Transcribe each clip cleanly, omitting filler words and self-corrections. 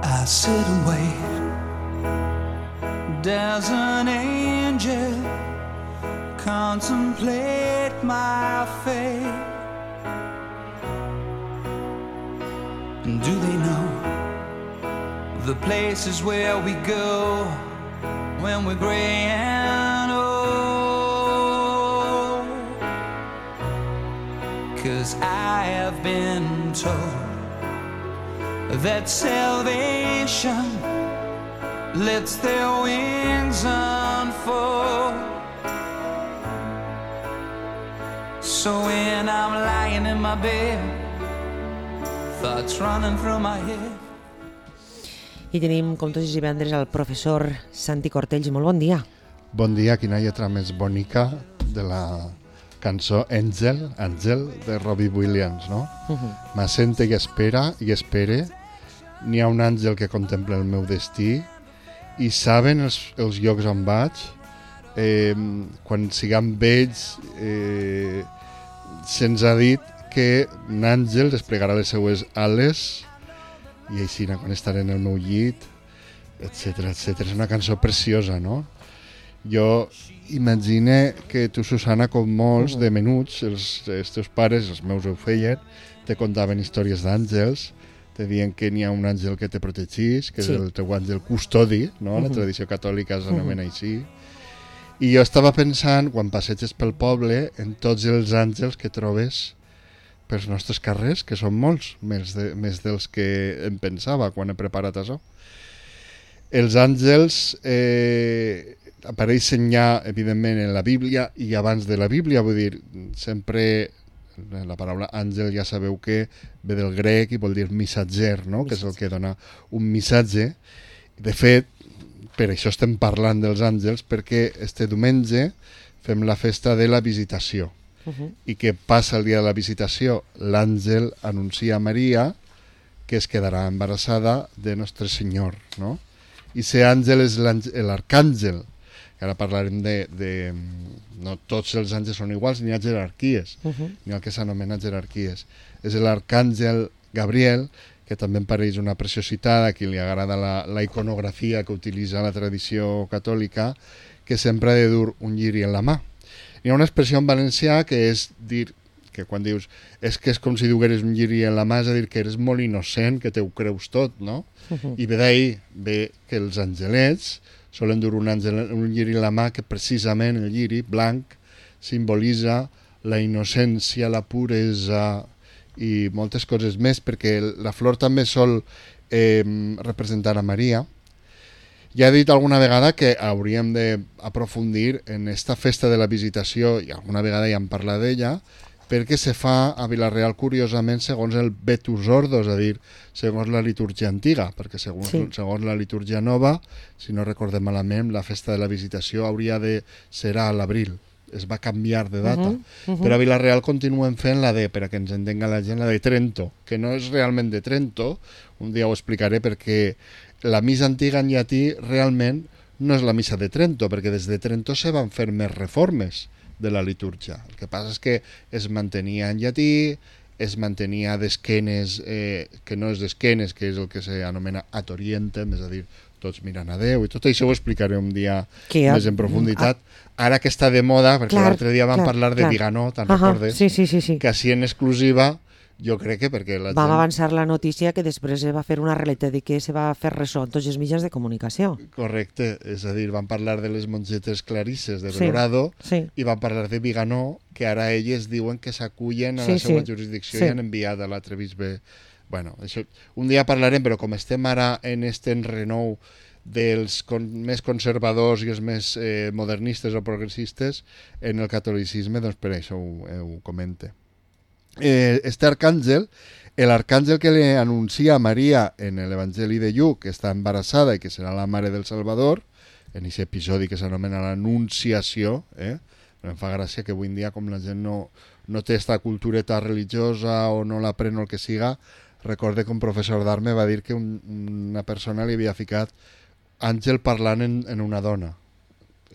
I sit and wait. Does an angel contemplate my fate? And do they know the places where we go when we're gray and old? 'Cause I have been told that salvation lets their wings unfold. So when I'm lying in my bed, thoughts running through my head. I tenim, com tots els divendres, el professor Santi Cortells. Molt bon dia. Bon dia, quina lletra més bonica de la cançó Àngel de Robbie Williams, no? M'assente i espera i espere. N'hi ha un àngel que contempla el meu destí i saben els llocs on vaig. Quan siguem vells se'ns ha dit que un àngel desplegarà les seues ales i així quan estaré en el meu llit, etcètera, etcètera. És una cançó preciosa, no? Jo imagine que tu, Susana, com molts de menuts, els teus pares, els meus ho feien, te contaven històries d'àngels, te diuen que n'hi ha un àngel que te protegís, que és el teu àngel custodi, no? La tradició catòlica s'anomena així. I jo estava pensant, quan passeges pel poble, en tots els àngels que trobes pels nostres carrers, que són molts, més dels que em pensava quan he preparat això. Els àngels apareixen ja, evidentment, en la Bíblia i abans de la Bíblia, vull dir, sempre la paraula àngel ja sabeu que ve del grec i vol dir missatger, no? Que és el que dona un missatge. De fet, per això estem parlant dels àngels, perquè este diumenge fem la festa de la visitació. I què passa el dia de la visitació? L'àngel anuncia a Maria que es quedarà embarassada de Nostre Senyor, no? I ser àngel és l'arcàngel. Ara parlarem de... No tots els àngels són iguals, n'hi ha jerarquies, n'hi ha el que s'anomena jerarquies. És l'arcàngel Gabriel, que també em pareix una preciositat, a qui li agrada la iconografia que utilitza la tradició catòlica, que sempre ha de dur un lliri en la mà. Hi ha una expressió en valencià que és dir, que quan dius és que és com si dugueres un lliri en la mà, és a dir, que eres molt innocent, que te ho creus tot, no? I ve d'ahir, ve que els angelets solen dur un lliri en la mà, que precisament el lliri blanc simbolitza la innocència, la puresa i moltes coses més, perquè la flor també sol representar a Maria. Ja he dit alguna vegada que hauríem d'aprofundir en esta festa de la visitació, i alguna vegada ja hem parlat d'ella, perquè se fa a Vila-real, curiosament, segons el Vetus Ordo, és a dir, segons la litúrgia antiga, perquè segons la litúrgia nova, si no recordem malament, la festa de la visitació hauria de ser a l'abril. Es va canviar de data. Però a Vila-real continuen fent la de, per a que ens entenga la gent, la de Trento, que no és realment de Trento, un dia ho explicaré, perquè la missa antiga en llatí realment no és la missa de Trento, perquè des de Trento se van fer més reformes de la litúrgia. El que passa és que es mantenia en llatí, es mantenia d'esquenes, que no és d'esquenes, que és el que s'anomena ad orientem, és a dir, tots mirant a Déu, i tot això ho explicaré un dia més en profunditat. Ara que està de moda, perquè l'altre dia vam parlar de Viganó, te'n recordes? Sí. Que així en exclusiva, jo crec que perquè la gent... Vam avançar la notícia que després va fer una realitat i que se va fer ressò en tots els mitjans de comunicació. Correcte, és a dir, van parlar de les mongetes clarisses de Belorado i van parlar de Viganó, que ara elles diuen que s'acullen a la seva jurisdicció i han enviat a l'altre bisbe. Bueno, això un dia parlarem, però com estem ara en este enrenou dels més conservadors i els més modernistes o progressistes en el catolicisme, doncs per això ho comente. Este arcàngel, l'arcàngel que li anuncia a Maria en l'Evangeli de Lluc, que està embarassada i que serà la mare del Salvador, en aquest episodi que s'anomena l'Anunciació, em fa gràcia que avui en dia, com la gent no té esta cultureta religiosa o no l'aprèn o el que siga, recorde que un professor d'art me va dir que una persona li havia ficat àngel parlant en una dona.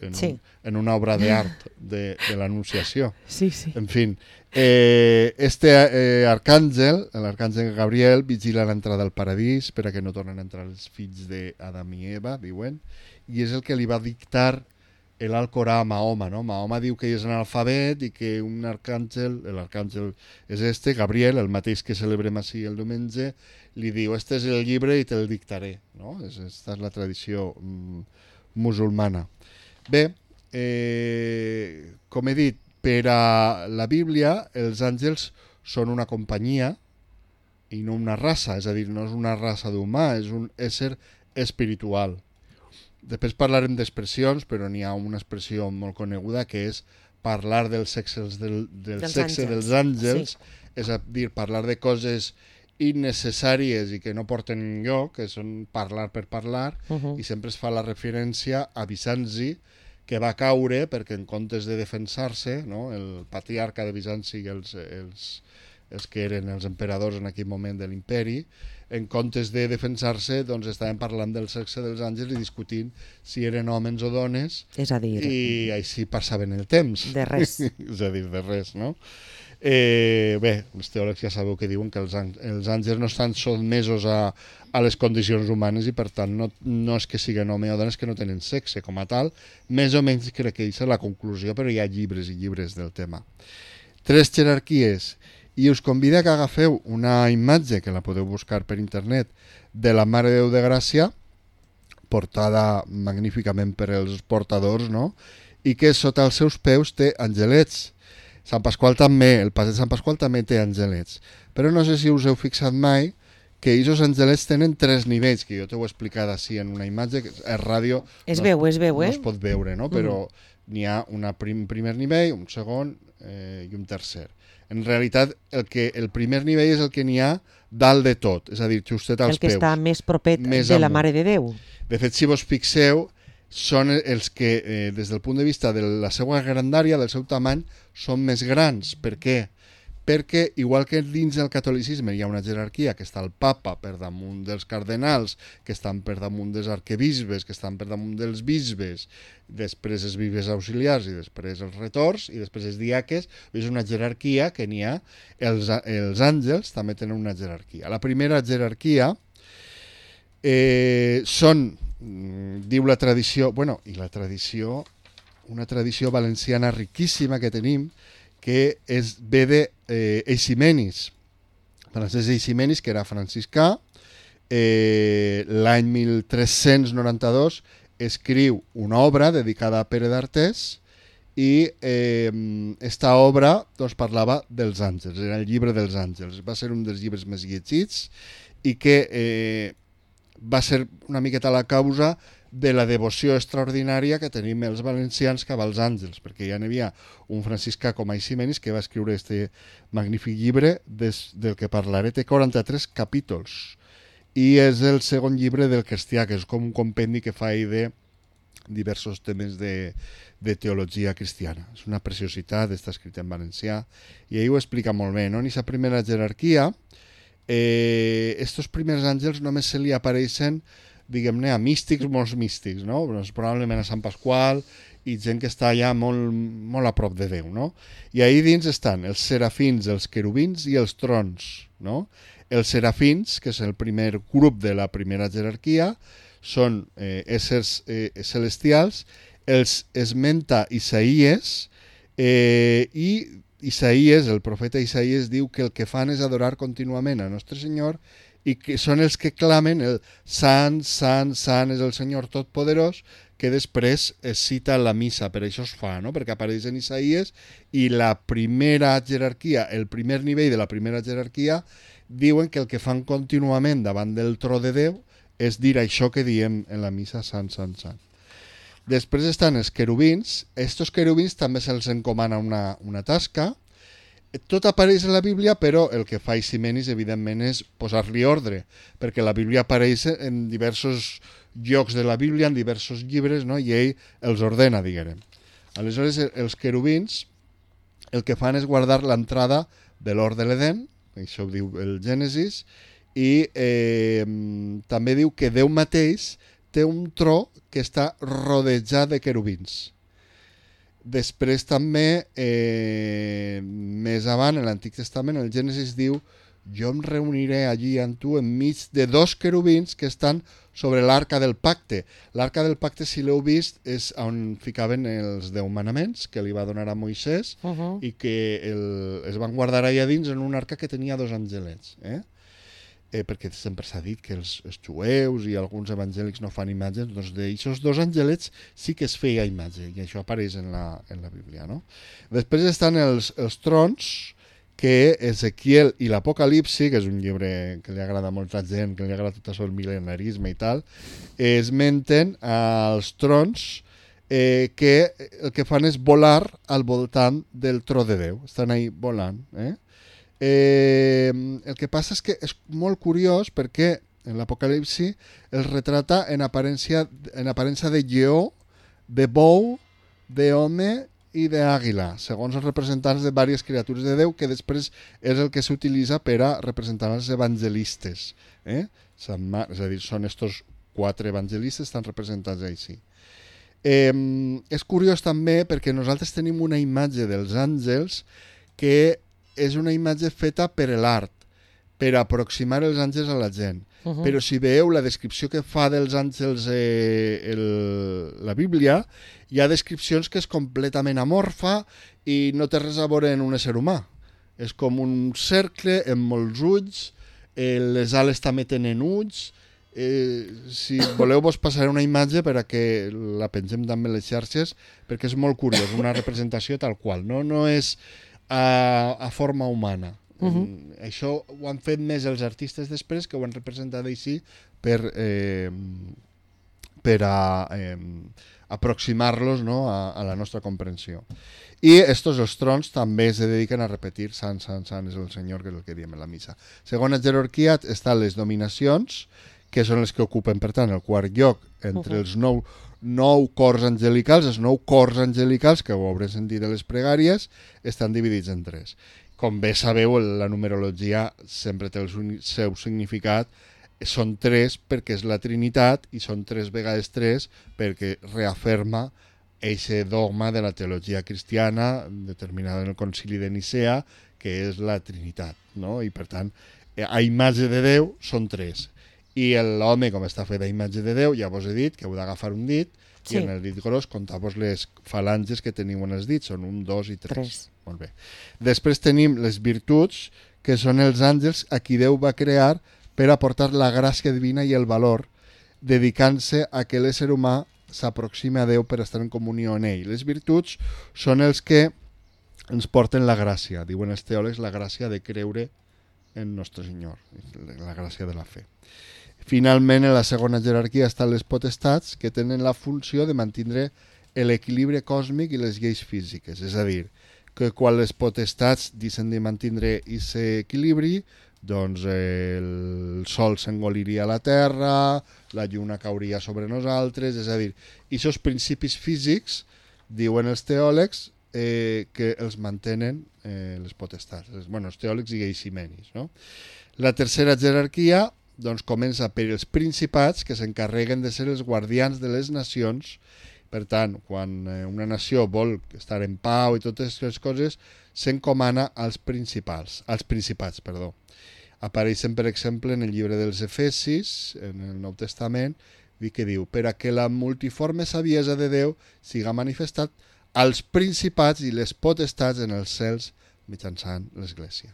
en una obra d'art de l'Anunciació. Sí, sí. En fin, arcàngel, l'arcàngel Gabriel, vigila l'entrada al paradís per a que no tornen a entrar els fills d'Adam i Eva, diuen, i és el que li va dictar l'Alcorà a Mahoma, no? Mahoma diu que és analfabet i que un arcàngel, l'arcàngel és Gabriel, el mateix que celebrem així el diumenge, li diu, este és el llibre i te'l dictaré, no? Aquesta és la tradició musulmana. Bé, com he dit, per a la Bíblia els àngels són una companyia i no una raça, és a dir, no és una raça d'humà, és un ésser espiritual. Després parlarem d'expressions, però n'hi ha una expressió molt coneguda que és parlar del sexe dels àngels, és a dir, parlar de coses innecessàries i que no porten enlloc, que són parlar per parlar, i sempre es fa la referència a Bizanci, que va caure perquè en comptes de defensar-se, no, el patriarca de Bizanci i els que eren els emperadors en aquell moment de l'imperi, en comptes de defensar-se, doncs estaven parlant del sexe dels àngels i discutint si eren homes o dones, és a dir, i així passaven el temps. De res. És a dir, de res, no? Bé, els teòlegs ja sabeu que diuen que els àngels no estan sotmesos a les condicions humanes i per tant no és que siguin home o dones, que no tenen sexe com a tal, més o menys crec que aquesta és la conclusió, però hi ha llibres i llibres del tema. 3 jerarquies, i us convido que agafeu una imatge que la podeu buscar per internet de la Mare de Déu de Gràcia, portada magníficament per els portadors, no? I que sota els seus peus té angelets. Sant Pasqual també, el pas de Sant Pasqual també té angelets. Però no sé si us heu fixat mai que aquests angelets tenen 3 nivells, que jo t'ho he explicat així en una imatge, que és ràdio, es veu, no es pot veure, no? Però n'hi ha un primer nivell, un segon i un tercer. En realitat, el primer nivell és el que n'hi ha dalt de tot, és a dir, justet als peus. El que està més propet de la Mare de Déu. De fet, si vos fixeu, són els que, des del punt de vista de la seva grandària, del seu tamany, són més grans. Per què? Perquè, igual que dins del catolicisme hi ha una jerarquia, que està el papa per damunt dels cardenals, que estan per damunt dels arquebisbes, que estan per damunt dels bisbes, després els bisbes auxiliars i després els retors i després els diaques, és una jerarquia que n'hi ha. Els àngels també tenen una jerarquia. La primera jerarquia són, diu la tradició, i la tradició, una tradició valenciana riquíssima que tenim, que ve d'Eiximenis. Francesc Eiximenis, que era franciscà, l'any 1392 escriu una obra dedicada a Pere d'Artés i esta obra doncs, parlava dels àngels, era el llibre dels àngels. Va ser un dels llibres més llegits i que va ser una miqueta la causa de la devoció extraordinària que tenim els valencians cap als àngels, perquè ja n'hi havia un franciscà com Eiximenis que va escriure este magnífic llibre del que parlaré, té 43 capítols i és el segon llibre del cristià, que és com un compendi que fa de diversos temes de teologia cristiana. És una preciositat, està escrit en valencià i ell ho explica molt bé, no? En aquesta primera jerarquia, estos primers àngels només se li apareixen, diguem-ne, a místics, molts místics, no? Probablement a Sant Pasqual i gent que està allà molt, molt a prop de Déu, no? I ahí dins estan els serafins, els querubins i els trons, no? Els serafins, que és el primer grup de la primera jerarquia, són éssers celestials, els esmenta Isaías, i Isaías, el profeta Isaías, diu que el que fan és adorar contínuament a Nostre Senyor i que són els que clamen el Sant, Sant, Sant és el Senyor Totpoderós, que després es cita en la missa, per això es fa, no? Perquè apareix en Isaías i la primera jerarquia, el primer nivell de la primera jerarquia, diuen que el que fan contínuament davant del tro de Déu és dir això que diem en la missa Sant, Sant, Sant. Després estan els querubins, estos querubins també se'ls encomana una tasca. Tot apareix en la Bíblia, però el que fa Eiximenis, evidentment, és posar-li ordre, perquè la Bíblia apareix en diversos llocs de la Bíblia, en diversos llibres, no? I ell els ordena, diguem. Aleshores, els querubins el que fan és guardar l'entrada de l'hort de l'Edén, això ho diu el Gènesis, i també diu que Déu mateix té un tro que està rodejat de querubins. Després també, més avant, en l'Antic Testament, el Gènesis diu: jo em reuniré allí amb tu enmig de 2 querubins que estan sobre l'arca del pacte. L'arca del pacte, si l'heu vist, és on ficaven els 10 manaments que li va donar a Moisès i que es van guardar allà dins en una arca que tenia 2 angelets. Perquè sempre s'ha dit que els jueus i alguns evangèlics no fan imatges, doncs d'aixòs 2 angelets sí que es feia imatge, i això apareix en la Bíblia, no? Després estan els trons, que Ezequiel i l'Apocalipsi, que és un llibre que li agrada a molta gent, que li agrada tot això el mil·lenarisme i tal, esmenten els trons que el que fan és volar al voltant del tro de Déu. Estan ahí volant. El que passa és que és molt curiós perquè en l'Apocalipsi el retrata en aparença de lleó, de bou, d'home i d'àguila, segons els representants de diverses criatures de Déu, que després és el que s'utilitza per a representar els evangelistes. És a dir, són estos 4 evangelistes estan representats així. És curiós també perquè nosaltres tenim una imatge dels àngels que és una imatge feta per l'art, per aproximar els àngels a la gent. Però si veieu la descripció que fa dels àngels la Bíblia, hi ha descripcions que és completament amorfa i no té res a veure en un ésser humà. És com un cercle amb molts ulls, les ales també tenen ulls. Si voleu vos passaré una imatge per a que la pengem també a les xarxes, perquè és molt curiós, una representació tal qual, no és a forma humana. Això ho han fet més els artistes després, que ho han representat així per aproximar-los, no, a la nostra comprensió. I estos, els trons, també es dediquen a repetir Sant, Sant, Sant és el Senyor, que és el que diem en la missa. Segona jerarquia estan les dominacions, que són les que ocupen, per tant, el quart lloc entre els 9 cors angelicals. Els 9 cors angelicals, que ho haurem sentit a les pregàries, estan dividits en 3. Com bé sabeu, la numerologia sempre té el seu significat. Són 3 perquè és la Trinitat i són 3 vegades 3 perquè reafirma aquest dogma de la teologia cristiana determinada en el concili de Nicea, que és la Trinitat, no? I per tant, a imatge de Déu són 3. I l'home, com està fet a imatge de Déu, ja vos he dit que heu d'agafar un dit, i en el dit gros comptar-vos les falanges que teniu en els dits, són 1, 2 i 3. Molt bé. Després tenim les virtuts, que són els àngels a qui Déu va crear per aportar la gràcia divina i el valor, dedicant-se a que l'ésser humà s'aproximi a Déu per estar en comunió amb ell. Les virtuts són els que ens porten la gràcia, diuen els teòlegs, la gràcia de creure en Nostre Senyor, la gràcia de la fe. Finalment, en la segona jerarquia estan les potestats, que tenen la funció de mantenir l'equilibri còsmic i les lleis físiques. És a dir, que quan les potestats deixen de mantenir aquest equilibri, doncs el sol s'engoliria a la terra, la lluna cauria sobre nosaltres, és a dir, aquests principis físics, diuen els teòlegs, que els mantenen les potestats. Els teòlegs i eiximenis, no? La tercera jerarquia doncs comença per els principats, que s'encarreguen de ser els guardians de les nacions. Per tant, quan una nació vol estar en pau i totes aquestes coses, s'encomana als principats. Apareixen, per exemple, en el llibre dels Efesis, en el Nou Testament, que diu: per a que la multiforme saviesa de Déu siga manifestat als principats i les potestats en els cels mitjançant l'Església.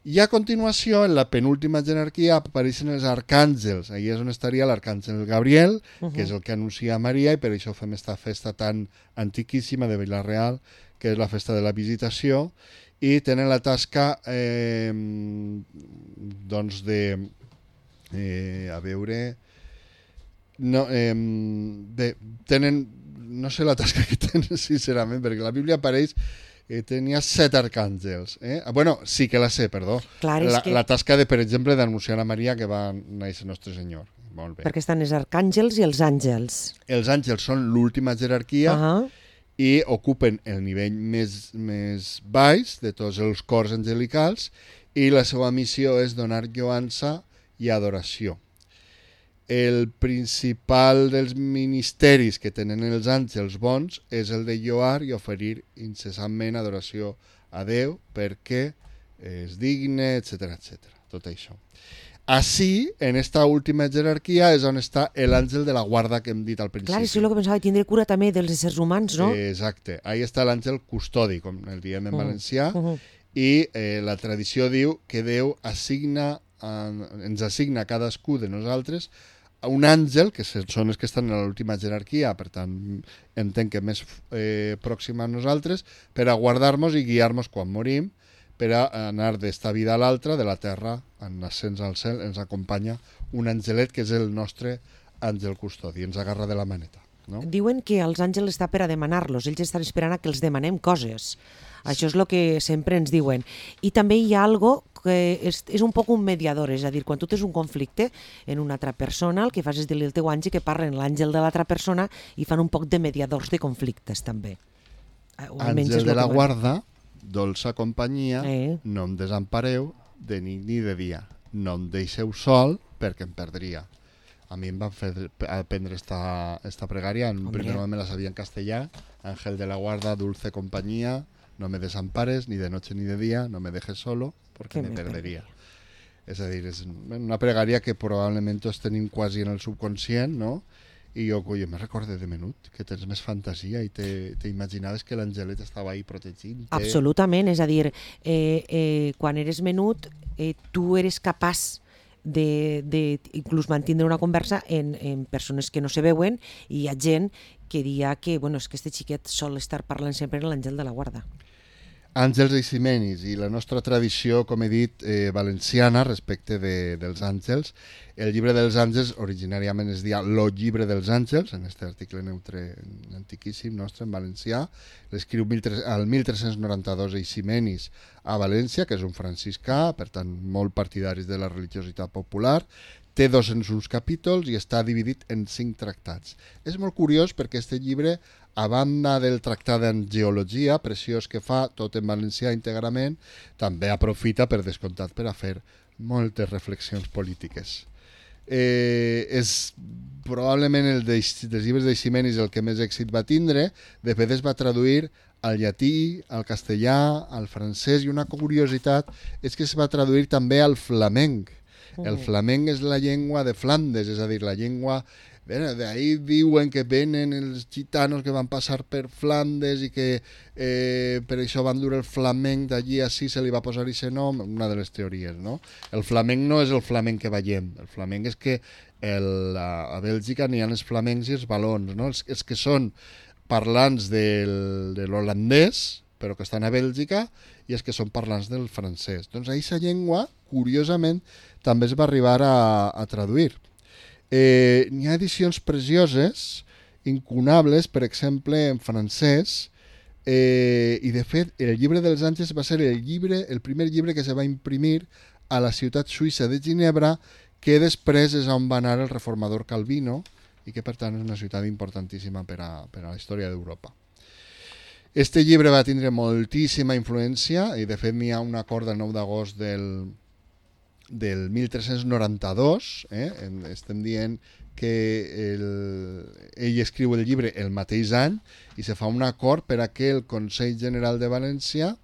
I a continuació, en la penúltima jerarquia, apareixen els arcàngels. Allà és on estaria l'arcàngel Gabriel, que és el que anuncia a Maria, i per això fem aquesta festa tan antiquíssima de Vila-real, que és la festa de la Visitació, i tenen la tasca doncs de a veure tenen, no sé la tasca que tenen sincerament, perquè la Bíblia apareix tenia 7 arcàngels. Sí que la sé, perdó. Clar, la tasca, per exemple, d'anunciar a Maria que va néixer Nostre Senyor. Molt bé. Perquè estan els arcàngels i els àngels. Els àngels són l'última jerarquia i ocupen el nivell més baix de tots els cors angelicals, i la seva missió és donar lloança i adoració. el principal dels ministeris que tenen els àngels bons és el de lloar i oferir incessantment adoració a Déu perquè és digne, etc etc. Tot això. Així, en esta última jerarquia és on està l'àngel de la guarda que hem dit al principi. Clar, això és el que pensava, tindre cura també dels éssers humans, no? Exacte. Ahí està l'àngel custodi, com el diem en valencià, i la tradició diu que Déu ens assigna a cadascú de nosaltres un àngel, que són els que estan en l'última jerarquia, per tant entenc que més pròxim a nosaltres, per a guardar-nos i guiar-nos quan morim, per a anar d'esta vida a l'altra, de la terra, en ascens al cel, ens acompanya un angelet que és el nostre àngel custodi, ens agarra de la maneta. No? Diuen que els àngels està per a demanar-los, ells estan esperant a que els demanem coses. Això és el que sempre ens diuen. I també hi ha algo que és un poc un mediador, és a dir, quan tu tens un conflicte en una altra persona, el que fas és dir-li al teu àngel que parlen l'àngel de l'altra persona i fan un poc de mediadors de conflictes, també. Àngel de la guarda, dolça companyia, no em desampareu de nit ni de dia. No em deixeu sol perquè em perdria. A mi em van fer aprendre esta pregària. En un primer moment me la sabia en castellà. Ángel de la guarda, dulce compañía, no me desampares ni de noche ni de día, no me dejes solo porque me perderia. És a dir, és una pregària que probablement tots tenim quasi en el subconscient, no? I jo me recorde de menut que tens més fantasia i t'imaginaves que l'angelet estava ahí protegint. Absolutament, és a dir, quan eres menut tu eres capaç de inclús mantindre una conversa en persones que no se veuen, i hi ha gent que diria que és que este xiquet sol estar parlant sempre amb l'àngel de la guarda. Àngels eiximenis, i la nostra tradició, com he dit, valenciana respecte dels àngels. El llibre dels àngels originàriament es deia Lo llibre dels àngels, en aquest article neutre antiquíssim nostre en valencià. L'escriu al 1392 Eiximenis a València, que és un franciscà, per tant molt partidaris de la religiositat popular. Té 201 capítols i està dividit en 5 tractats. És molt curiós perquè aquest llibre, a banda del tractat en geologia, preciós que fa, tot en valencià íntegrament, també aprofita, per descomptat, per a fer moltes reflexions polítiques. És probablement el dels llibres d'Eiximenis el que més èxit va tindre. De fet, es va traduir al llatí, al castellà, al francès, i una curiositat és que es va traduir també al flamenc. El flamenc és la llengua de Flandes, és a dir, la llengua... D'ahí diuen que venen els gitanos que van passar per Flandes i que per això van dur el flamenc, d'allí a sí se li va posar aquest nom, una de les teories, no? El flamenc no és el flamenc que veiem, el flamenc és que a Bèlgica n'hi ha els flamencs i els valons, no? Els que són parlants de l'holandès, però que estan a Bèlgica, i els que són parlants del francès. Doncs aquesta llengua, curiosament, també es va arribar a traduir. N'hi ha edicions precioses, incunables, per exemple, en francès, i de fet el llibre dels àngels va ser el primer llibre que se va imprimir a la ciutat suïssa de Ginebra, que després és on va anar el reformador Calvino, i que per tant és una ciutat importantíssima per a la història d'Europa. Este llibre va tindre moltíssima influència, i de fet n'hi ha un acord del 9 d'agost del 1392, estem dient que ell escriu el llibre el mateix any, i se fa un acord per a que el Consell General de València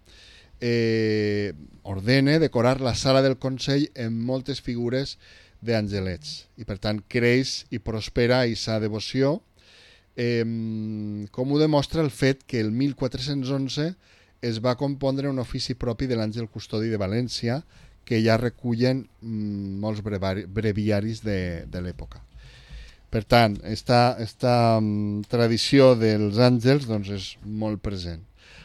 ordene decorar la sala del Consell amb moltes figures d'angelets, i per tant creix i prospera aquesta devoció, com ho demostra el fet que el 1411 es va compondre un ofici propi de l'Àngel Custodi de València, que ja recullen molts breviaris de l'època. Per tant, esta tradició dels àngels doncs, és molt present.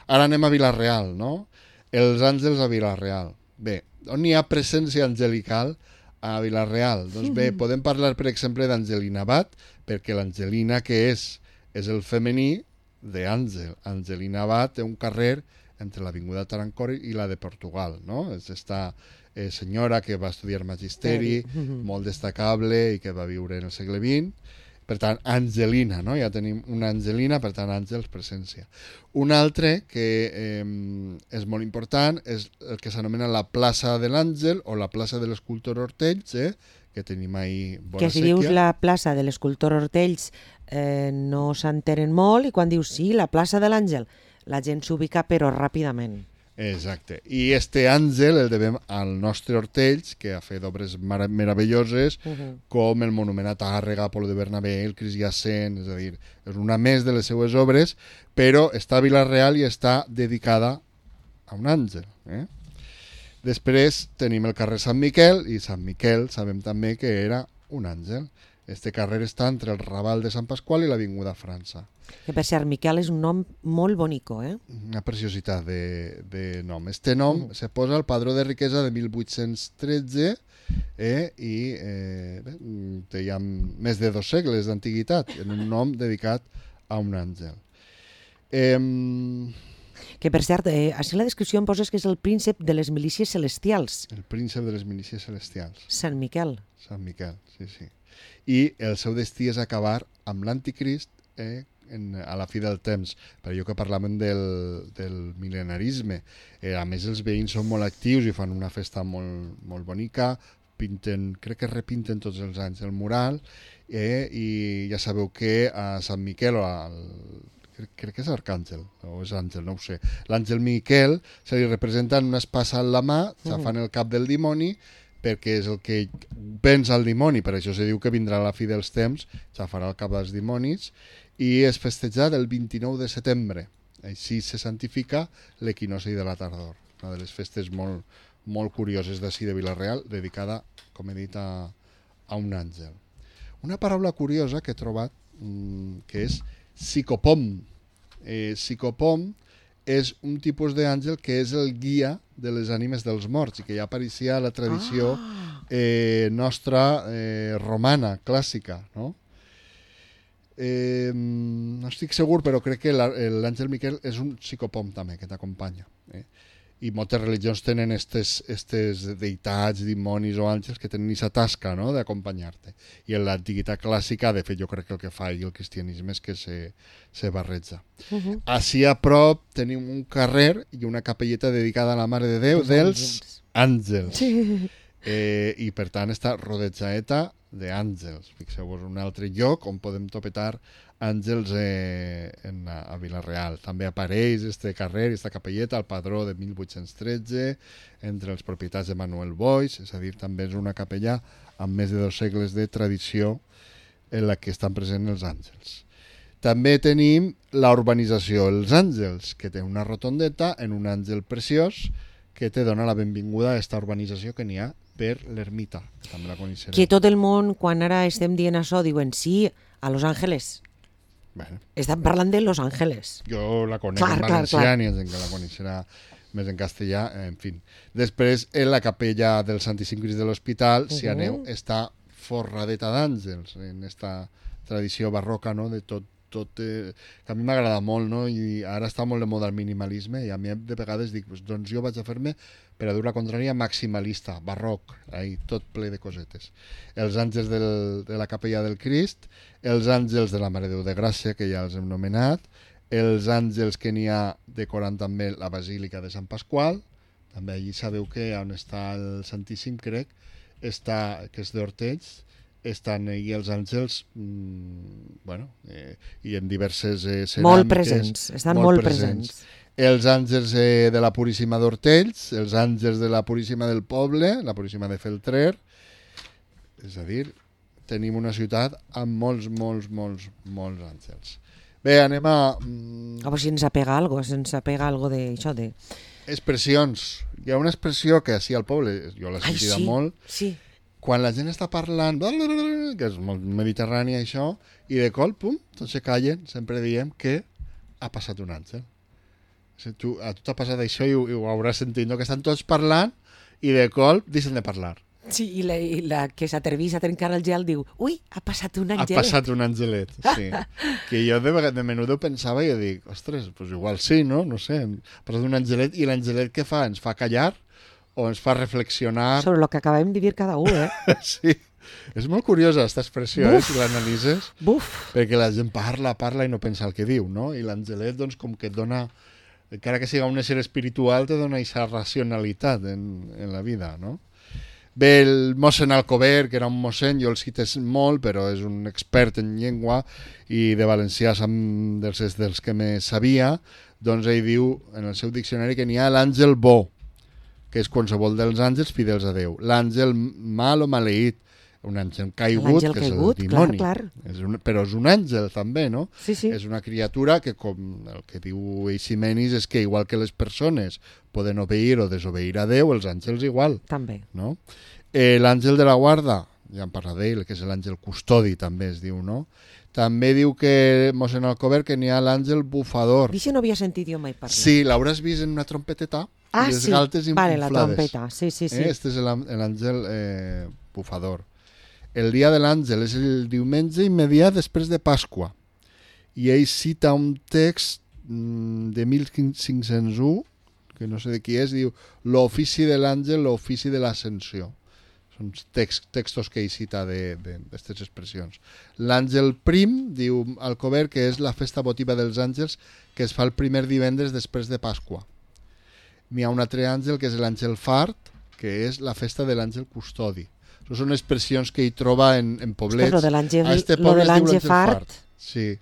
Ara anem a Vila-real, no? Els àngels a Vila-real. Bé, on hi ha presència angelical a Vila-real? Doncs bé, podem parlar, per exemple, d'Angelina Abad, perquè l'Angelina que és el femení d'Àngel. Angelina Abad té un carrer entre l'Avinguda Tarancor i la de Portugal, no? És esta senyora que va estudiar magisteri, molt destacable i que va viure en el segle XX. Per tant, Angelina, no? Ja tenim una Angelina, per tant, àngels, presència. Un altre que és molt important és el que s'anomena la plaça de l'Àngel o la plaça de l'escultor Hortells, que que tenim ahí bona Que si sèquia. dius la plaça de l'escultor Hortells no s'enteren molt, i quan dius sí, la plaça de l'Àngel, la gent s'ubica però ràpidament. Exacte. I este àngel el devem al nostre Hortells, que ha fet obres meravelloses, com el Monument a Tàrrega, Apolo de Bernabé, el Crist Jacent, és a dir, és una més de les seues obres, però està a Vila-real i està dedicada a un àngel. Després tenim el carrer Sant Miquel, i Sant Miquel sabem també que era un àngel. Este carrer està entre el Raval de Sant Pasqual i l'Avinguda França. Que per cert, Miquel és un nom molt bonico, Una preciositat de nom. Este nom se posa al Padró de Riquesa de 1813 i té ja més de 2 segles d'antiguitat, en un nom dedicat a un àngel. Que per cert, així en la descripció em poses que és el príncep de les milícies celestials. El príncep de les milícies celestials. Sant Miquel. Sant Miquel, sí. I el seu destí és acabar amb l'anticrist a la fi del temps, per allò que parlàvem del mil·lenarisme. A més, els veïns són molt actius i fan una festa molt bonica, crec que repinten tots els anys el mural, i ja sabeu que a Sant Miquel, crec que és Arcàngel, o és Àngel, no ho sé, l'Àngel Miquel se li representa en una espasa en la mà, xafant el cap del dimoni, perquè és el que pensa el dimoni, per això se diu que vindrà a la fi dels temps, xafarà el cap dels dimonis, i és festejat el 29 de setembre. Així se santifica l'equinoci de la tardor, una de les festes molt curioses d'ací de Vila-real, dedicada, com he dit, a un àngel. Una paraula curiosa que he trobat, que és psicopom. Psicopom és un tipus d'àngel que és el guia de les ànimes dels morts i que ja apareixia a la tradició nostra romana, clàssica, no? No estic segur, però crec que l'àngel Miquel és un psicopom també, que t'acompanya. I moltes religions tenen estes deïtats, dimonis o àngels que tenen aquesta tasca, no?, d'acompanyar-te. I en l'antiguitat clàssica, de fet, jo crec que el que fa el cristianisme és que se barreja. Així a prop tenim un carrer i una capelleta dedicada a la Mare de Déu dels àngels. I per tant està rodejada d'àngels. Fixeu-vos, un altre lloc on podem topetar àngels a Vila-real. També apareix este carrer, esta capelleta, al Padró de 1813, entre els propietats de Manuel Boix, és a dir, també és una capella amb més de 2 segles de tradició en la que estan presents els àngels. També tenim la urbanització Els Àngels, que té una rotondeta en un àngel preciós que te dona la benvinguda a aquesta urbanització que n'hi ha per l'ermita. També la coneixerem. Que tot el món, quan ara estem dient això, diuen sí, a Los Ángeles. Bueno, estan parlant de Los Ángeles. jo la conec en valencià, ni gent que la coneixerà més en castellà, en fi. Després, en la capella del Santíssim Crist de l'Hospital, si aneu, està forradeta d'àngels, en aquesta tradició barroca, no?, de tot que a mi m'agrada molt, no?, i ara està molt de moda el minimalisme, i a mi de vegades dic, doncs jo vaig a fer-me, per a dur la contrària, maximalista, barroc, tot ple de cosetes. Els àngels de la capella del Crist, els àngels de la Mare de Déu de Gràcia, que ja els hem nomenat, els àngels que n'hi ha decorant també la Basílica de Sant Pasqual, també allí sabeu que on està el Santíssim, crec, que és d'Hortells, estan allí els àngels i en diverses ceràmiques. Molt presents, estan molt presents. Els àngels de la Puríssima d'Hortells, els àngels de la Puríssima del Poble, la Puríssima de Feltrer. És a dir, tenim una ciutat amb molts àngels. Bé, anem a... A veure si ens apega algo d'això de... Expressions. Hi ha una expressió que així al poble, jo l'he sentida molt, quan la gent està parlant, que és molt mediterrània això, i de cop, pum, tots se callen, sempre diem que ha passat un àngel. A tu t'ha passat això i ho hauràs sentit, no? Que estan tots parlant i de cop deixen de parlar. Sí, i la que s'atrevís a trencar el gel diu, ui, ha passat un angelet. Ha passat un angelet, sí. Que jo de menudo pensava i dic, ostres, pues igual sí, no? No sé, ha passat un angelet i l'angelet què fa? Ens fa callar o ens fa reflexionar? Sobre el que acabem de dir cada un, Sí. És molt curiosa aquesta expressió, si l'analitzes. Perquè la gent parla i no pensa el que diu, no? I l'angelet, doncs, com que et dona... Encara que siga un ésser espiritual, te dona aquesta racionalitat en la vida, no? Ve el mossèn Alcover, que era un mossèn, jo el cites molt, però és un expert en llengua i de valencià dels que me sabia, doncs ell diu en el seu diccionari que n'hi ha l'àngel bo, que és qualsevol dels àngels fidels a Déu. L'àngel mal o maleït, un àngel caigut, que és el dimoni. Clar. Però és un àngel també, no? Sí. És una criatura que, com el que diu Eiximenis, és que igual que les persones poden obeir o desobeir a Déu, els àngels igual. També. No? L'àngel de la guarda, ja en parla d'ell, que és l'àngel custodi, també es diu, no? També diu que mossèn Alcover que n'hi ha l'àngel bufador. D'això no havia sentit jo mai parlar. Sí, l'hauràs vist en una trompeteta i les galtes inflades. Vale, la trompeta, sí. Este és l'àngel bufador. El dia de l'àngel és el diumenge immediat després de Pasqua. I ell cita un text de 1501, que no sé de qui és, diu l'ofici de l'àngel, l'ofici de l'ascensió. Són textos que ell cita d'aquestes expressions. L'àngel prim, diu Alcover, que és la festa votiva dels àngels que es fa el primer divendres després de Pasqua. N'hi ha un altre àngel que és l'àngel fart, que és la festa de l'àngel custodi. Són expressions que hi troba en poblets. Però de l'àngel fart. Sí.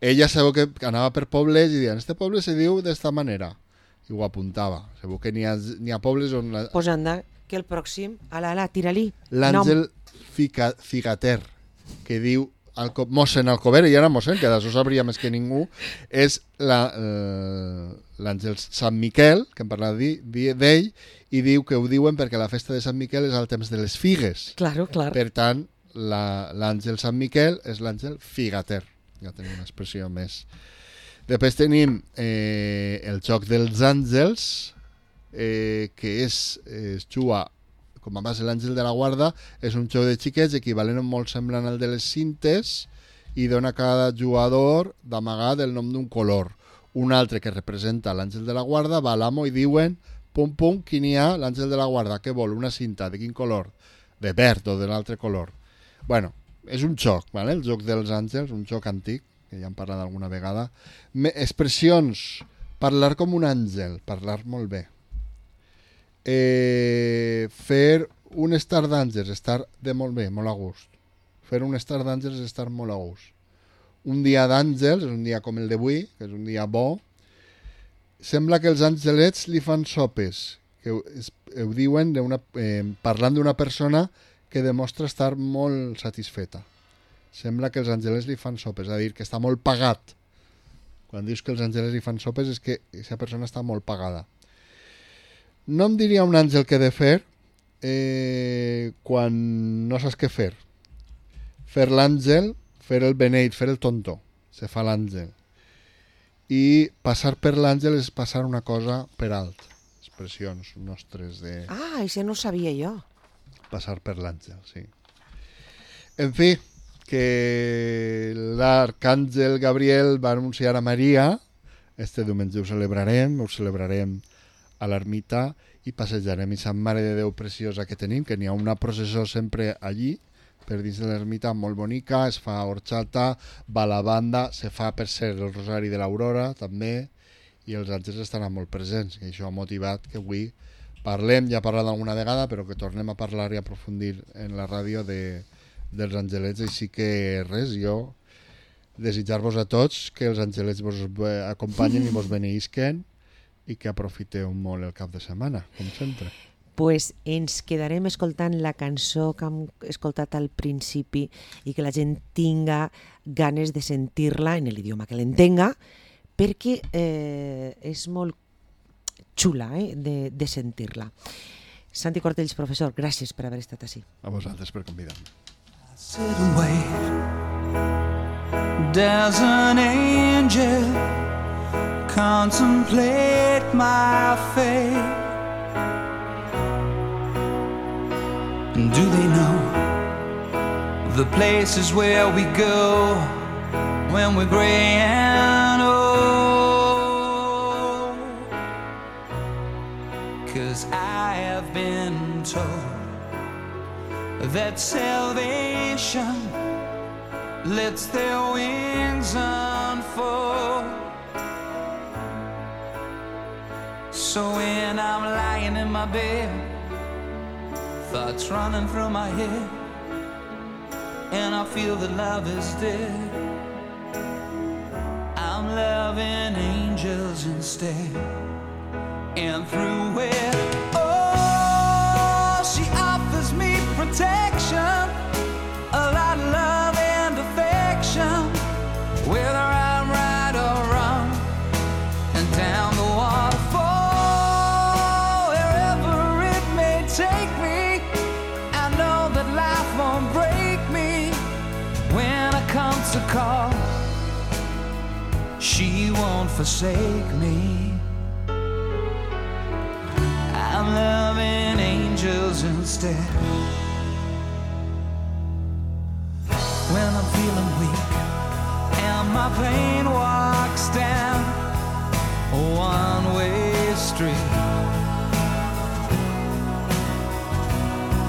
Ella sabeu que anava per pobles i deia, este poble se diu d'esta manera. I ho apuntava. Sabeu que n'hi ha pobles on... Pues anda, que el pròxim, ala, tira-li. L'àngel figater, que diu mossèn Alcover, i ara mossèn, que d'això sabria més que ningú, és l'àngel Sant Miquel, que hem parlat d'ell, i diu que ho diuen perquè la festa de Sant Miquel és al temps de les figues. Clar. Per tant, l'àngel Sant Miquel és l'àngel figater. Ja tenim una expressió més. Després tenim el joc dels àngels, que es juga com a base l'àngel de la guarda, és un joc de xiquets equivalent molt semblant al de les cintes i dona a cada jugador d'amagat el nom d'un color. Un altre que representa l'àngel de la guarda va a l'amo i diuen pum, qui n'hi ha? L'àngel de la guarda, què vol? Una cinta, de quin color? De verd o de l'altre color. Bueno, és un joc, ¿vale? El joc dels àngels, un joc antic, que ja hem parlat alguna vegada. Expressions, parlar com un àngel, parlar molt bé. Fer un estar d'àngels, estar de molt bé, molt a gust. Fer un estar d'àngels és estar molt a gust. Un dia d'àngels és un dia com el d'avui, que és un dia bo. Sembla que els angelets li fan sopes, que ho diuen parlant d'una persona que demostra estar molt satisfeta. Sembla que els angelets li fan sopes, és a dir, que està molt pagat. Quan dius que els angelets li fan sopes és que aquesta persona està molt pagada. No em diria un àngel què he de fer quan no saps què fer. Fer l'àngel, fer el beneit, fer el tonto. Se fa l'àngel. I passar per l'àngel és passar una cosa per alt. Expressions nostres de... Ah, això no ho sabia jo. Passar per l'àngel, sí. En fi, que l'arcàngel Gabriel va anunciar a Maria, este diumenge ho celebrarem a l'ermita i passejarem i Sant Mare de Déu preciosa que tenim, que n'hi ha una processó sempre allí, per dins de l'ermita, molt bonica, es fa horxata, va a la banda, se fa per ser el Rosari de l'Aurora també, i els àngels estaran molt presents, que això ha motivat que avui parlem, ja he parlat alguna vegada, però que tornem a parlar i aprofundir en la ràdio dels angelets, així que res, jo desitjar-vos a tots que els angelets vos acompanyen i vos beneïsquen i que aprofiteu molt el cap de setmana, com sempre. Pues ens quedarem escoltant la cançó que hem escoltat al principi i que la gent tinga ganes de sentir-la en l'idioma que l'entenga, perquè és molt xula de sentir-la. Santi Cortells, professor, gràcies per haver estat així. A vosaltres per convidar-me. Sit and wait. There's an angel contemplate my fate. Do they know the places where we go when we're gray and old? 'Cause I have been told that salvation lets their wings unfold. So when I'm lying in my bed, thoughts running through my head, and I feel that love is dead. I'm loving angels instead, and through it, oh, she offers me protection, a lot of love and affection, whether I'm right or wrong, and down the waterfall, wherever it may take me, I know that life won't break me when I come to call. She won't forsake me. I'm loving angels instead. When I'm feeling weak and my pain walks down a one-way street,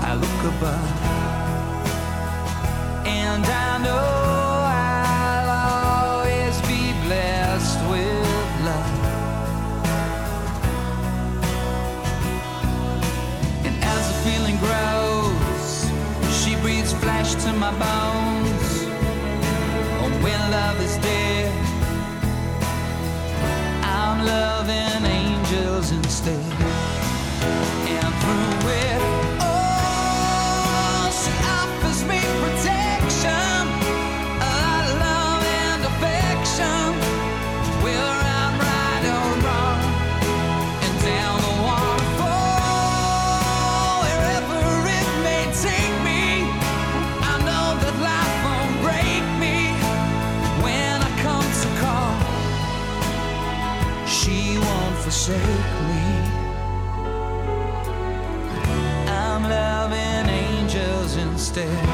I look above and I know I'll always be blessed with love. And as the feeling grows, she breathes flesh to my bones. Oh, when love is dead, I'm loving angels instead. And through it, oh, she offers me protection, a lot of love and affection, whether I'm right or wrong, and down the waterfall, wherever it may take me, I know that life won't break me when I come to call. She won't forsake me. I'm loving angels instead.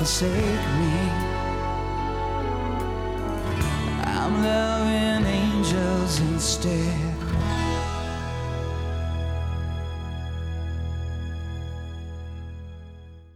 Forsake me. I'm loving angels instead.